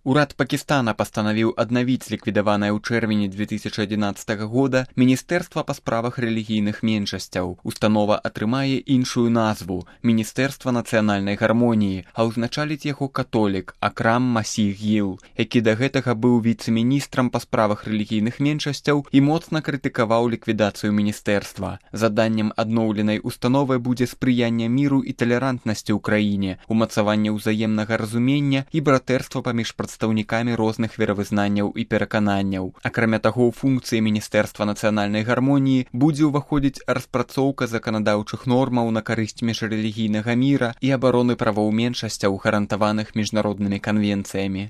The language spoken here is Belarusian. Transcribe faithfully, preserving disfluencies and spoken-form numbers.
Урад Пакістана пастанавіў аднавіць ліквідаванае ў чэрвені две тысячы адзінаццатага года Міністэрства па справах рэлігійных меншасцяў. Установа атрымае іншую назву – Міністэрства нацыянальнай гармоніі, а ўзначаліць яго католік Акрам Масіх Гіл, які да гэтага быў віцэ-міністрам па справах рэлігійных меншасцяў і моцна крытыкаваў ліквідацыю міністэрства. Заданнем адноўленай установы будзе спрыянне міру і талерантнасці ў краіне, умацаванне ўзаемнага разумення і братэрства паміж прадстаўнікамі розных веравызнанняў і перакананняў. Акрамя таго, у функцыі Міністэрства нацыянальнай гармоніі будзе ўваходзіць распрацоўка заканадаўчых нормаў на карысць міжрэлігійнага міра і абароны правоў меншасцяў, гарантаваных міжнароднымі канвенцыямі.